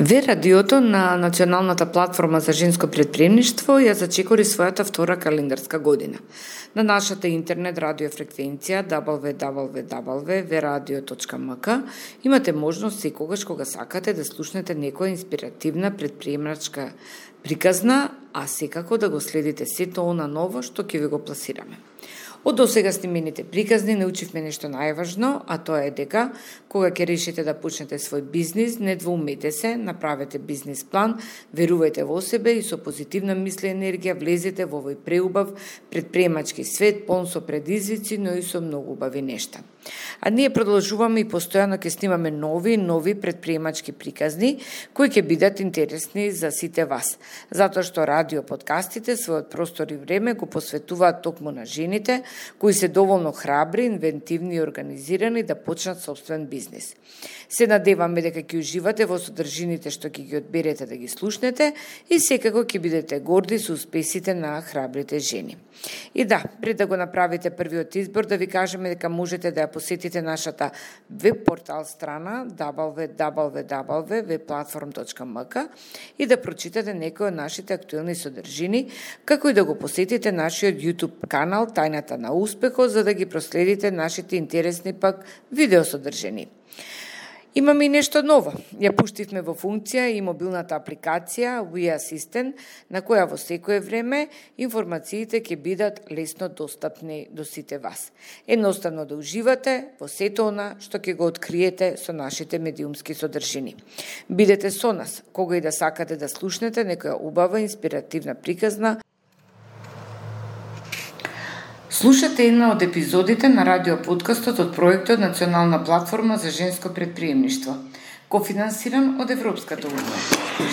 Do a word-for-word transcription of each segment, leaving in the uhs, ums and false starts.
Ве радиото на Националната платформа за женско претприемништво ја зачекори својата втора календарска година. На нашата интернет радио фреквенција дабл ю дабл ю дабл ю точка ве радио точка ем ка имате можност секогаш кога сакате да слушнете некоја инспиративна претприемачка приказна, а секако да го следите сето она ново што ќе ви го пласираме. Од досега снимените приказни научивме нешто најважно, а тоа е дека кога ќе решите да почнете свој бизнис, не двоумете се, направете бизнис план, верувајте во себе и со позитивна мисла и енергија влезете во овој преубав претприемачки свет, полн со предизвици, но и со многу убави нешта. А ние продолжуваме и постојано ќе снимаме нови нови претприемачки приказни кои ќе бидат интересни за сите вас, затоа што радио подкастите својот простор и време го посветуваат токму на жените кои се доволно храбри, инвентивни и организирани да почнат собствен бизнис. Се надеваме дека ќе уживате во содржините што ќе ги одберете да ги слушнете и секако ќе бидете горди со успесите на храбрите жени. И да, пред да го направите првиот избор, да ви кажеме дека можете да ја посетите нашата веб портал страна дабл ю дабл ю дабл ю точка ве платформ точка ем ка и да прочитате некои од нашите актуелни содржини, како и да го посетите нашиот YouTube канал Тајната на успехот, за да ги проследите нашите интересни пак видеосодржини. Имаме и нешто ново. Ја пуштивме во функција и мобилната апликација We Assistant, на која во секое време информациите ќе бидат лесно достапни до сите вас. Едноставно да уживате во сето она што ќе го откриете со нашите медиумски содржини. Бидете со нас, кога и да сакате да слушнете некоја убава инспиративна приказна. Слушате една од епизодите на радиоподкастот од проектот Национална платформа за женско претприемништво, кофинансиран од Европската унија.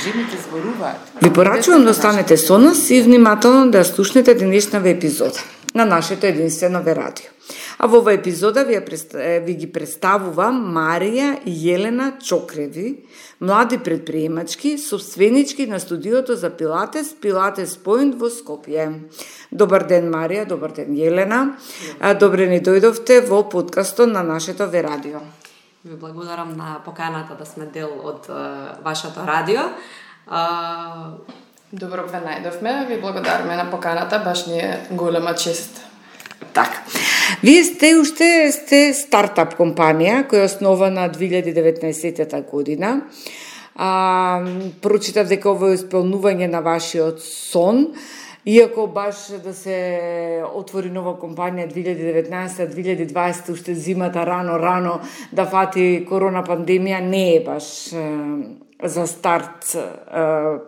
Жените зборуваат. Ви порачувам да останете со нас и внимателно да ја слушнете денешната епизода на нашето единствено ве радио. А во оваа епизода ви, ви ги представува Марија и Јелена Чокреви, млади претприемачки, собственички на студиото за Пилатес, Пилатес Point во Скопје. Добар ден, Марија, добар ден, Јелена. Добре ни дојдовте во подкастот на нашето ве радио. Ви благодарам на поканата да сме дел од uh, вашето радио. Uh... Добро ве најдовме, ви благодараме на поканата, баш ни е голема чест. Така. Вие сте уште сте стартап компанија која е основана две илјади и деветнаесетта година. А, прочитав дека ово е исполнување на вашиот сон. Иако баш да се отвори нова компанија две илјади и деветнаесетта две илјади и дваесетта уште зимата рано рано да фати корона пандемија, не е баш е, за старт е,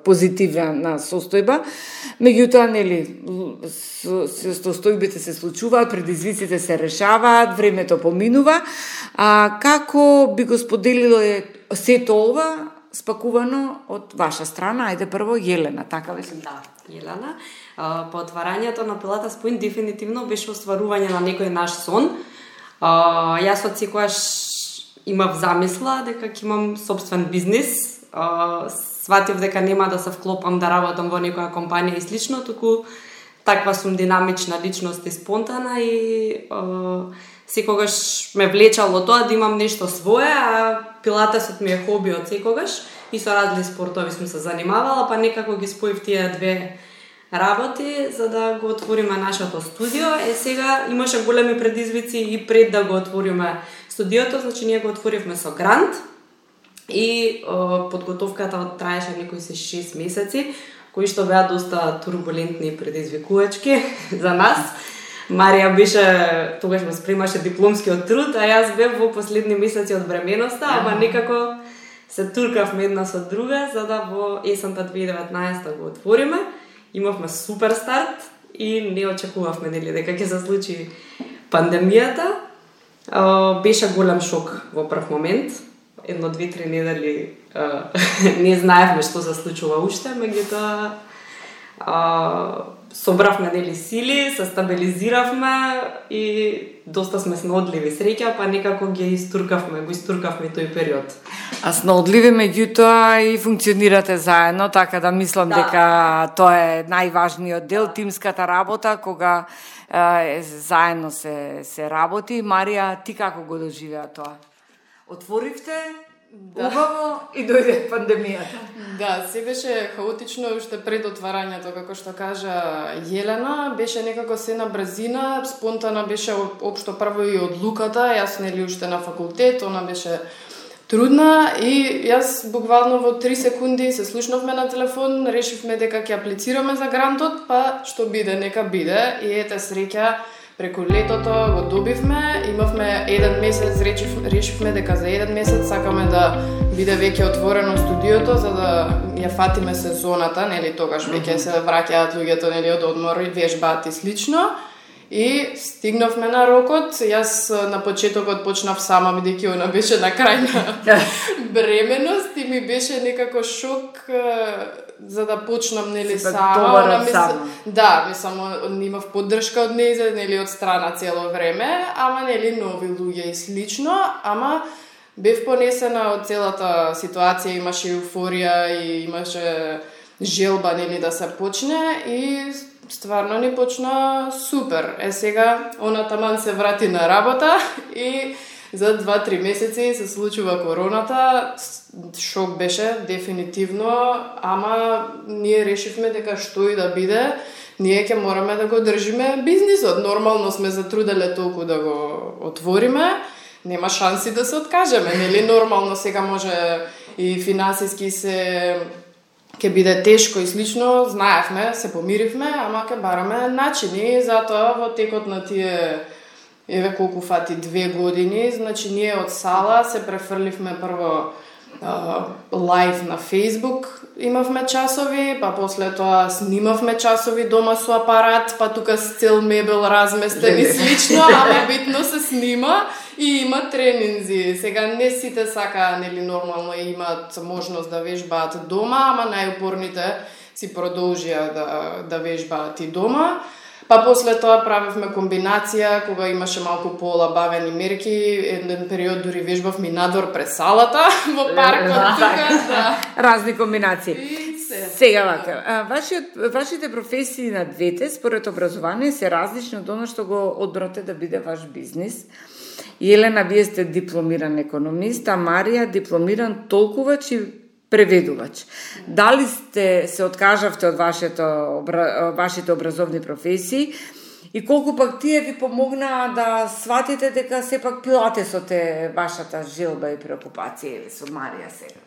позитивна состојба. Меѓутоа, нели, состојбите се случуваат, предизвиците се решаваат, времето поминува. А како би го споделило сето ова спакувано од ваша страна? Ајде прво Јелена, така ли? Да, Јелена. По отварањето на Пилатес Point дефинитивно беше остварување на некој наш сон. Јас од секојаш имав замисла дека ќе имам собствен бизнис. Сватив дека нема да се вклопам да работам во некоја компанија и слично, туку таква сум динамична личност и спонтана и секогаш ме влечало тоа да имам нешто свое, а пилатесот ми е хоби од секогаш и со различни спортови сум се занимавала, па некако ги споив тие две работи за да го отвориме нашето студио. Е, сега имаше големи предизвици и пред да го отвориме студиото, значи ние го отворивме со грант и о, подготовката траеше некои се шест месеци, кои што беа доста турбулентни и предизвикувачки за нас. Марија беше, тогаш ме спремаше дипломскиот труд, а јас бев во последни месеци од бременоста, ама некако се туркавме една со друга, за да во есента две илјади и деветнаесетта го отвориме. Имавме супер старт и не очекувавме нели дека ќе се случи пандемијата. Беше голем шок во прв момент. Едно две-три недели не знаевме што се случува уште, меѓутоа собравме нели сили, се стабилизиравме и доста сме снаодливи среќа, па некако ги истуркавме, го истуркавме тој период. А снаодливи меѓутоа и функционирате заедно, така да мислам да. дека тоа е најважниот дел, тимската работа, кога е, заедно се се работи. Марија, ти како го доживеа тоа? Отворивте Да. Убаво и дојде пандемијата. Да, се беше хаотично уште пред отварањето, како што кажа Јелена, беше некако се на брзина, спонтана беше општо прво и одлуката, јас нели уште на факултет, она беше трудна и јас буквално во три секунди се слушнавме на телефон, решивме дека ќе аплицираме за грантот, па што биде, нека биде и ете среќа. Преку летото го добивме, имавме еден месец, речив, решивме дека за еден месец сакаме да биде веќе отворено студиото за да ја фатиме сезоната, нели тогаш веќе се враќаат луѓето нели од одмор и вежбаат и слично. И стигнавме на рокот, јас на почетокот почнав сама бидејќи она беше на крајна бременост и ми беше некако шок за да почнам нели сама, она ми да, ми само имав поддршка од нејзе, нели од страна цело време, ама нели нови луѓе и слично, ама бев понесена од целата ситуација, имаше еуфорија и имаше желба нели да се почне и стварно ни почна супер. Е сега она таман се врати на работа и за два-три месеци се случува короната. Шок беше дефинитивно, ама ние решивме дека што и да биде, ние ќе мораме да го држиме бизнисот. Нормално сме затруделе толку да го отвориме, нема шанси да се откажеме, нели? Нормално сега може и финансиски се ќе биде тешко и слично, знаевме, се помиривме, ама ќе бараме начини, затоа во текот на тие еве колку фати две години, значи ние од сала се префрливме прво лайв на Facebook, имавме часови, па после тоа снимавме часови дома со апарат, па тука с цел мебел разместен и слично, ама битно се снима и има тренинзи. Сега не сите сака, нели нормално имаат можност да вежбаат дома, ама најупорните си продолжија да, да вежбаат и дома. Па после тоа правевме комбинација, кога имаше малку полабавени мерки, еден период дури вежбавме надвор пред салата, во паркот тука, да. Разни комбинации. Сега вака, вашиот, вашите професии на двете, според образование, се различни од оно што го одбрате да биде ваш бизнис. Јелена, вие сте дипломиран економист, а Марија дипломиран толкувач и преведувач. Дали сте се откажавте од вашето, вашите образовни професии и колку пак тие ви помогнаа да сватите дека сепак пилатесот е вашата желба и преокупација со Марија сега?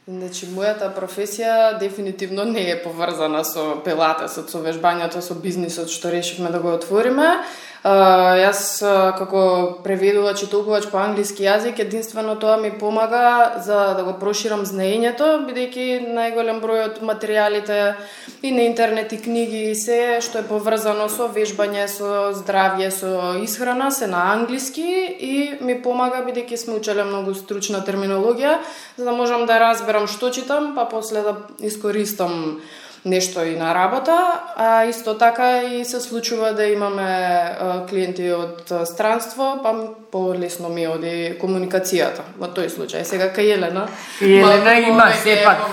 Значи, мојата професија дефинитивно не е поврзана со пилатесот, со вежбањето, со бизнисот што решивме да го отвориме. Uh, јас uh, како преведувач и толкувач по англиски јазик, единствено тоа ми помага за да го проширам знаењето, бидејќи најголем број од материјалите и на интернет и книги и се што е поврзано со вежбање, со здравје, со исхрана се на англиски и ми помага бидејќи сме учеле многу стручна терминологија, за да можам да разберам што читам, па после да искористам нешто и на работа, а исто така и се случува да имаме а, клиенти од странство, па полесно ми оди комуникацијата во тој случај. Сега кај Јелена, Јелена има сепак.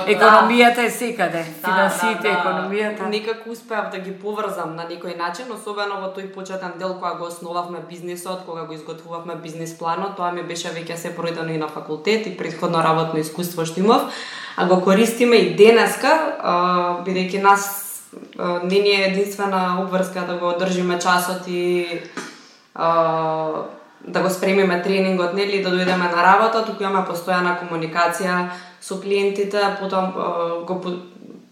Економијата е секаде, финансите, да, да, економијата. Некако успеав да ги поврзам на некој начин, особено во тој почетен дел кога го основавме бизнисот, кога го изготвувавме бизнис планот, тоа ми беше веќе се пројдено и на факултет и претходно работно искуство што имав, а го користиме и денеска, бидејќи нас а, не ни е единствена обврска да го одржиме часот и а, да го спремиме тренингот, нели, да дојдеме на работа, туку имаме постојана комуникација со клиентите, потом а, го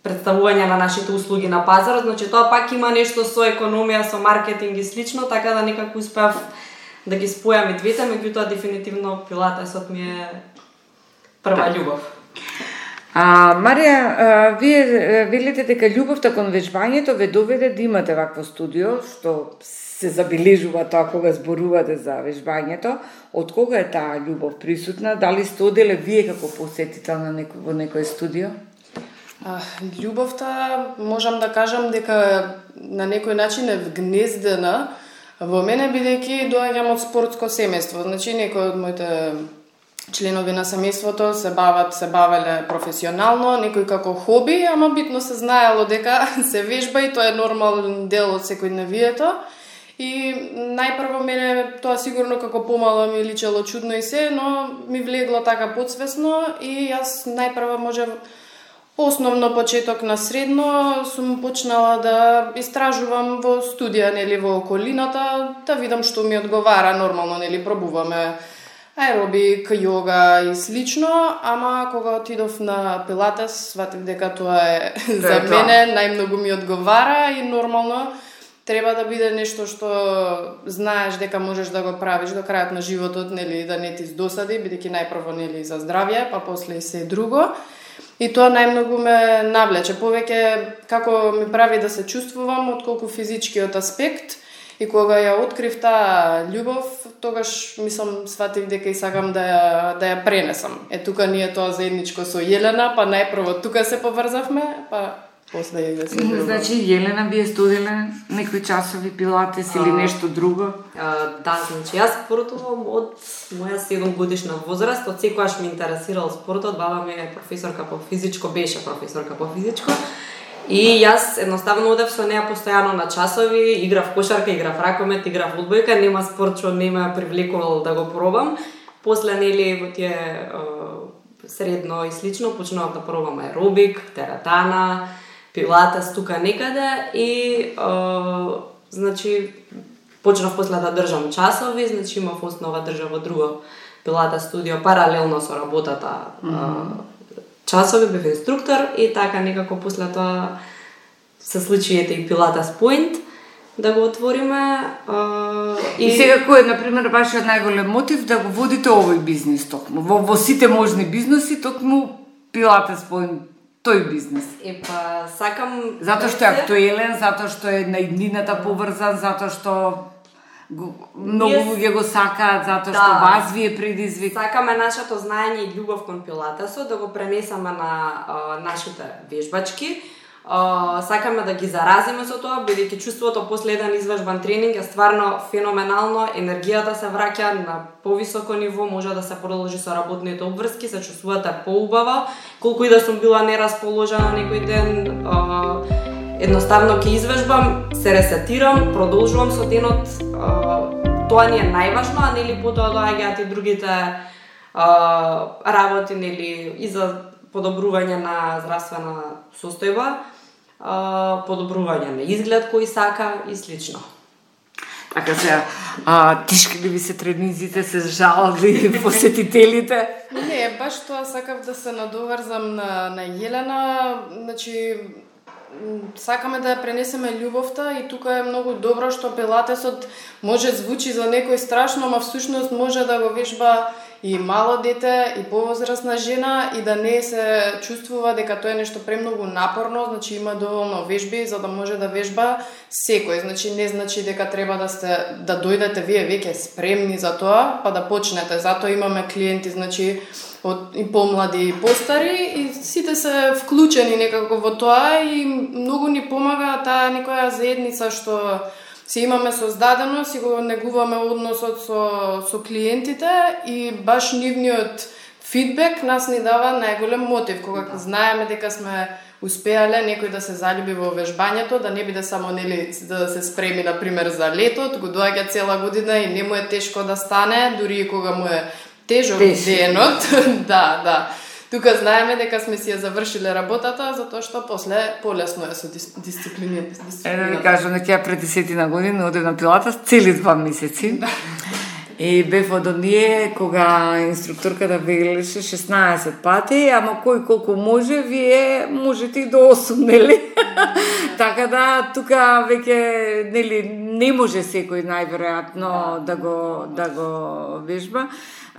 представување на нашите услуги на пазарот, значи тоа пак има нешто со економија, со маркетинг и слично, така да некако успеав да ги спојам и двете, меѓутоа дефинитивно пилатесот ми е прва љубов. А, Марија, а, вие велите дека љубовта кон вежбањето ве доведе да имате вакво студио, што се забележува тоа кога зборувате за вежбањето. Од кога е таа љубов присутна? Дали сте оделе вие како посетител на некој, во некој студио? А, љубовта, можам да кажам дека на некој начин е вгнездена во мене, бидејќи доаѓам од спортско семејство. Значи, некој од моите членови на семејството се бават, се бавеле професионално, некој како хоби, ама битно се знаело дека се вежба и тоа е нормален дел од секојдневието. И најпрво мене тоа сигурно како помало ми личело чудно и се, но ми влегло така подсвесно и јас најпрво можев основно почеток на средно сум почнала да истражувам во студија, нели, во околината, да видам што ми одговара. Нормално, нели, пробуваме аеробик, јога и слично, ама кога отидов на пилатес, сватив дека тоа е за мене најмногу ми одговара и нормално треба да биде нешто што знаеш дека можеш да го правиш до крајот на животот, нели, да не ти здосади, бидејќи најпрво, нели, за здравје, па после и се друго. И тоа најмногу ме навлече, повеќе како ми прави да се чувствувам отколку физичкиот аспект. И кога ја открив таа љубов, тогаш мислам сватив дека и сакам да ја да ја пренесам. Е тука ние тоа заедничко со Јелена, па најпрво тука се поврзавме, па после ја да се друго. Значи Јелена би е студила некои часови пилатес или нешто друго? А, да, значи јас спортувам од моја седум годишна возраст, од секогаш ме интересирал спортот, баба ми е професорка по физичко, беше професорка по физичко. И јас едноставно одев со неа постојано на часови, играв кошарка, играв ракомет, играв одбојка, нема спорт што не ме привлекувал да го пробам. После, нели, во тие е, средно и слично, почнував да пробам аеробик, тератана, пилатес тука некаде и е, значи почнав после да држам часови, значи имав основа држав во друго пилатес студио паралелно со работата. Mm-hmm. Часови бев инструктор и така некако после тоа се случи ете и Пилатес Point да го отвориме. А, и... и сега кој е, например, вашиот најголем мотив да го водите овој бизнес токму? Во, во сите можни бизнеси токму Пилатес Point, тој бизнес. И па сакам... Затоа што е актуелен, затоа што е на иднината поврзан, затоа што Го, многу луѓе го сакаат затоа да, што вас ви е предизвик. Сакаме нашето знаење и љубов кон пилатесот да го пренесеме на а, нашите вежбачки. А, сакаме да ги заразиме со тоа, бидејќи чувството после еден извежбан тренинг е стварно феноменално, енергијата се враќа на повисоко ниво, може да се продолжи со работните обврски, се чувствувате поубаво, колку и да сум била нерасположена некој ден. А, Едноставно ќе извежбам, се ресетирам, продолжувам со денот, тоа ни е најважно, а нели потоа доаѓаат и другите а, работи, нели, и за подобрување на здравствена состојба, а, подобрување на изглед кој сака и слично. Така сега, а, тишки ли ви се тренизите, се жалби посетителите? Не, баш тоа сакав да се надоврзам на, на Јелена, значи сакаме да ја пренесеме љубовта и тука е многу добро што пилатесот може звучи за некој страшно, ама всушност може да го вежба и мало дете, и повозрасна жена и да не се чувствува дека тоа е нешто премногу напорно, значи има доволно вежби за да може да вежба секој. Значи не значи дека треба да сте да дојдете вие веќе спремни за тоа, па да почнете. Затоа имаме клиенти, значи од и помлади и постари и сите се вклучени некако во тоа и многу ни помага таа некоја заедница што си имаме создадено, си го негуваме односот со, со клиентите и баш нивниот фидбек нас ни дава најголем мотив, кога знаеме дека сме успеале некој да се заљуби во вежбањето, да не биде само нели да се спреми на пример за летот, го доаѓа цела година и не му е тешко да стане, дури и кога му е тежок денот. да, да. Тука знаеме дека сме си ја завршиле работата, затоа што после полесно е со дисциплинирани. Е, да ви кажам, дека пред десетина година одев на пилатес цели два месеци. И бев од оние кога инструкторката велеше шеснаесет пати, ама кој колку може, вие можете и до осум, нели? Така да, тука веќе, нели, не може секој најверојатно да го, да го вежба,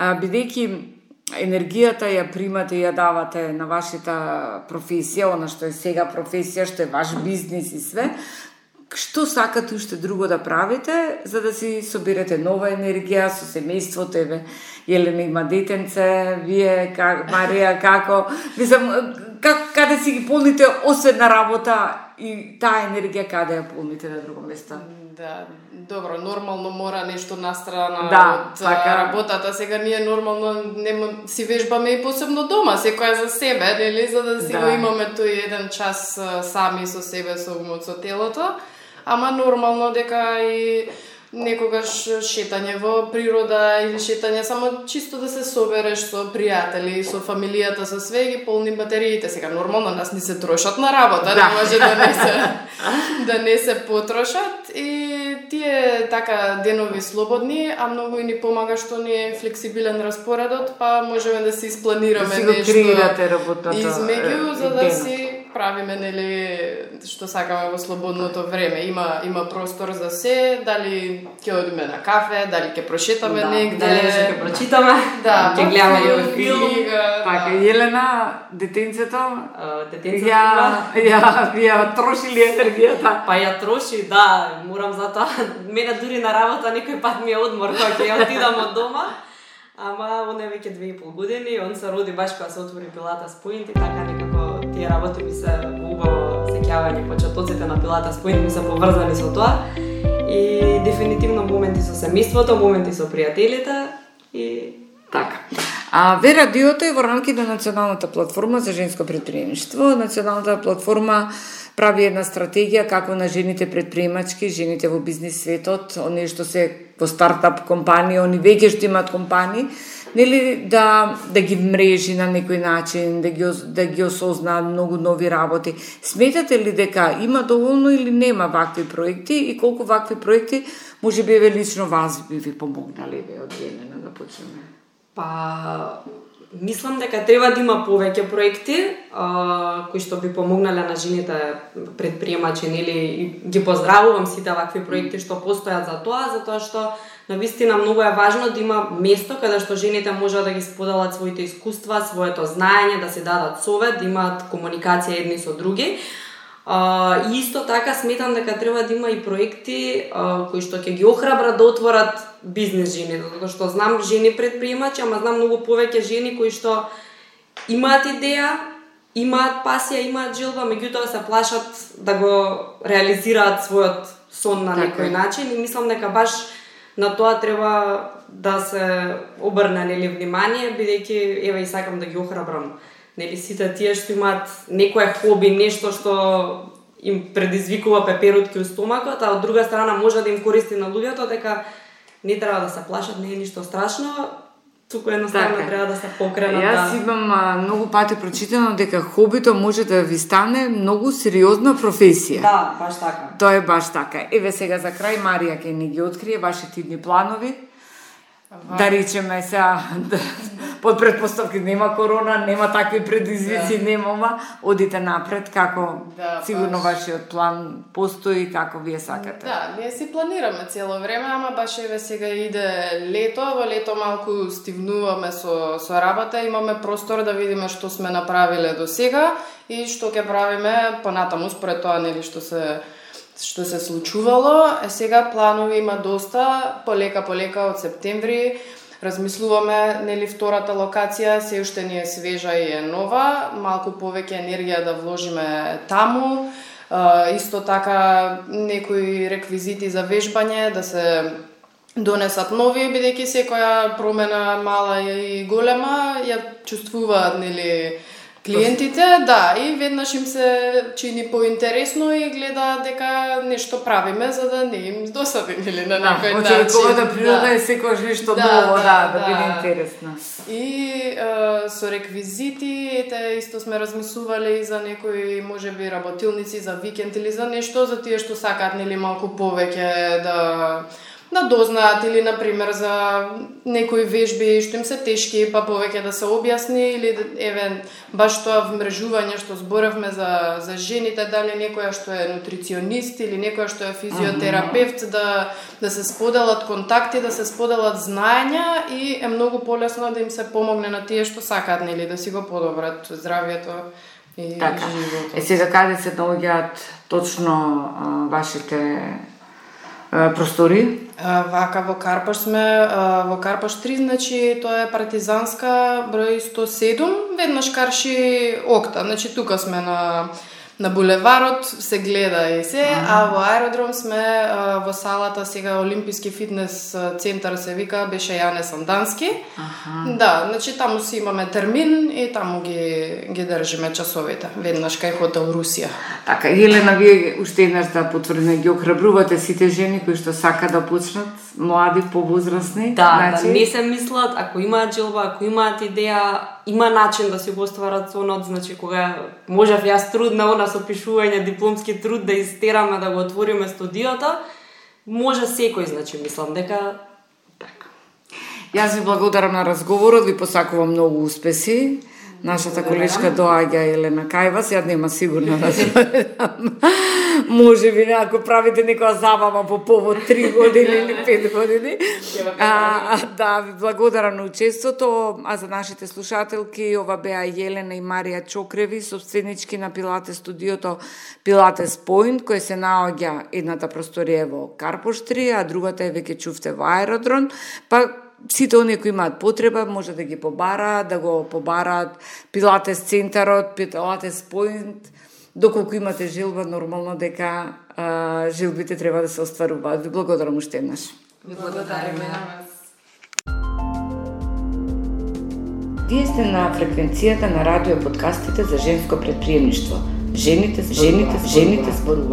бидејќи енергијата ја примате и ја давате на вашата професија, она што е сега професија, што е ваш бизнис и све. Што сакате уште друго да правите, за да си соберете нова енергија со семејството? Еве, Јелена има детенце, вие, как, Марија, како? Мислам, как, каде си ги полните, освен на работа, и таа енергија каде ја полните на друго место? Да, добро, нормално мора нешто настрана да, од така работата. Сега ние нормално нема, си вежбаме и посебно дома, секоја за себе, нели, за да си да. го имаме тој еден час сами со себе, со умот, со телото. ама нормално дека и некогаш шетање во природа или шетање само чисто да се собереш со пријатели, со фамилијата, со све ги полни батериите. Сега нормално нас не се трошат на работа, да. Не може да не се да не се потрошат и тие така денови слободни, а многу и ни помага што ни е флексибилен распоредот, па можеме да си испланираме да нешто измеѓу за да си правиме нели што сакаме во слободното време. Има има простор за се, дали ќе одиме на кафе, дали ќе прошетаме да, негде, дали ќе прочитаме, да, ќе гледаме филм. Така, да. Елена, детенцето, детенцето ја, ја, ја троши ли енергијата? Па ја троши, да, морам затоа. Мене дури на работа некој пат ми е одмор кога ќе ја отидам од дома. Ама он е веќе две и пол години, он се роди баш кога се отвори Pilates Point и така некако тие работи ми се убаво сеќавање, почетоците на Pilates Point ми се поврзани со тоа. И дефинитивно моменти со семејството, моменти со пријателите и така. А Ве радиото е во рамките на Националната платформа за женско претприемништво. Националната платформа прави една стратегија како на жените претприемачки, жените во бизнис светот, оние што се во стартап компании, они веќе што имаат компании, нели да да ги мрежи на некој начин, да ги да ги осознаат многу нови работи. Сметате ли дека има доволно или нема вакви проекти и колку вакви проекти можеби еве лично вас би ви помогнали ве од Елена да почнеме? Па мислам дека треба да има повеќе проекти а, кои што би помогнале на жените претприемачи, нели, и ги поздравувам сите вакви проекти што постојат за тоа, затоа што навистина многу е важно да има место каде што жените можат да ги споделат своите искуства, своето знаење, да се дадат совет, да имаат комуникација едни со други. Uh, и исто така сметам дека треба да има и проекти uh, кои што ќе ги охрабрат да отворат бизнес жени, затоа што знам жени претприемачи, ама знам многу повеќе жени кои што имаат идеја, имаат пасија, имаат желба, меѓутоа се плашат да го реализираат својот сон на некој начин и мислам дека баш на тоа треба да се обрне нели внимание, бидејќи еве и сакам да ги охрабрам нели сите тие што имаат некое хоби, нешто што им предизвикува пеперутки у стомакот, а од друга страна може да им користи на луѓето, дека не треба да се плашат, не е ништо страшно, туку едноставно така треба да се покренат. Јас да... имам а, многу пати прочитано дека хобито може да ви стане многу сериозна професија. Да, баш така. Тоа е баш така. Еве сега за крај Марија ќе ни ги открие вашите идни планови. Ага. Да речеме сега, да, под предпоставки нема корона, нема такви предизвици, да. Нема, одите напред, како да, сигурно баш... вашиот план постои, како вие сакате. Да, ние си планираме цело време, ама баш еве сега иде лето, во лето малку стивнуваме со, со работа, имаме простор да видиме што сме направиле до сега и што ќе правиме понатаму според тоа нели што се што се случувало. Е сега планови има доста, полека полека од септември размислуваме нели втората локација, се уште ни е свежа и е нова, малку повеќе енергија да вложиме таму. Uh, исто така некои реквизити за вежбање да се донесат нови, бидејќи секоја промена мала и голема ја чувствуваат нели клиентите, да, и веднаш им се чини поинтересно и гледаат дека нешто правиме за да не им досади нели на некој начин. Да, очекуваат природа е секогаш нешто да, ново, да, да, да, да биде интересно. И е, со реквизити, ете исто сме размислувале и за некои можеби работилници за викенд или за нешто за тие што сакаат нели малку повеќе да да дознаат или на пример за некои вежби што им се тешки, па повеќе да се објасни или еве баш тоа вмрежување што зборевме за за жените, дали некоја што е нутриционист или некоја што е физиотерапевт, mm-hmm. да да се споделат контакти, да се споделат знаења и е многу полесно да им се помогне на тие што сакаат нели да си го подобрат здравјето и така. животот. Е сега каде се наоѓаат точно а, вашите простори? Вака во Карпаш сме, во Карпаш три, значи тоа е Партизанска број сто седум, веднаш карши Окта, значи тука сме на на булеварот се гледа и се, а во аеродром сме а, во салата сега Олимписки фитнес центар се вика, беше Јане Сандански. Аха. Да, значи таму си имаме термин и таму ги ги држиме часовите, веднаш кај хотел Русија. Така, Елена, вие уште еднаш да потврдиме, ги охрабрувате сите жени кои што сака да почнат, млади, повозрасни. Да, значи... да не се мислат, ако имаат желба, ако имаат идеја, има начин да си го остварат сонот, значи кога можев јас трудна она со пишување дипломски труд да истераме да го отвориме студиото, може секој, значи мислам дека така. Јас ви благодарам на разговорот, ви посакувам многу успеси. Нашата колешка доаѓа Елена кај вас, ја нема сигурно да се може би ако правите некоја забава по повод три години или пет години. А, да, ви благодарам на учеството, а за нашите слушателки ова беа Елена и Марија Чокреви, собственички на Пилатес студиото Пилатес Point, кој се наоѓа едната просторија во Карпоштри, а другата е веќе чувте во Аеродром, па сите оние кои имаат потреба може да ги побараат, да го побараат Пилатес центарот, Пилатес Point, доколку имате желба, нормално дека а, желбите треба да се остваруваат. Ви благодарам уште еднаш. Ви благодариме на вас. Вие сте на фреквенцијата на радио подкастите за женско предприемништво. Жените, жените, жените зборуваат.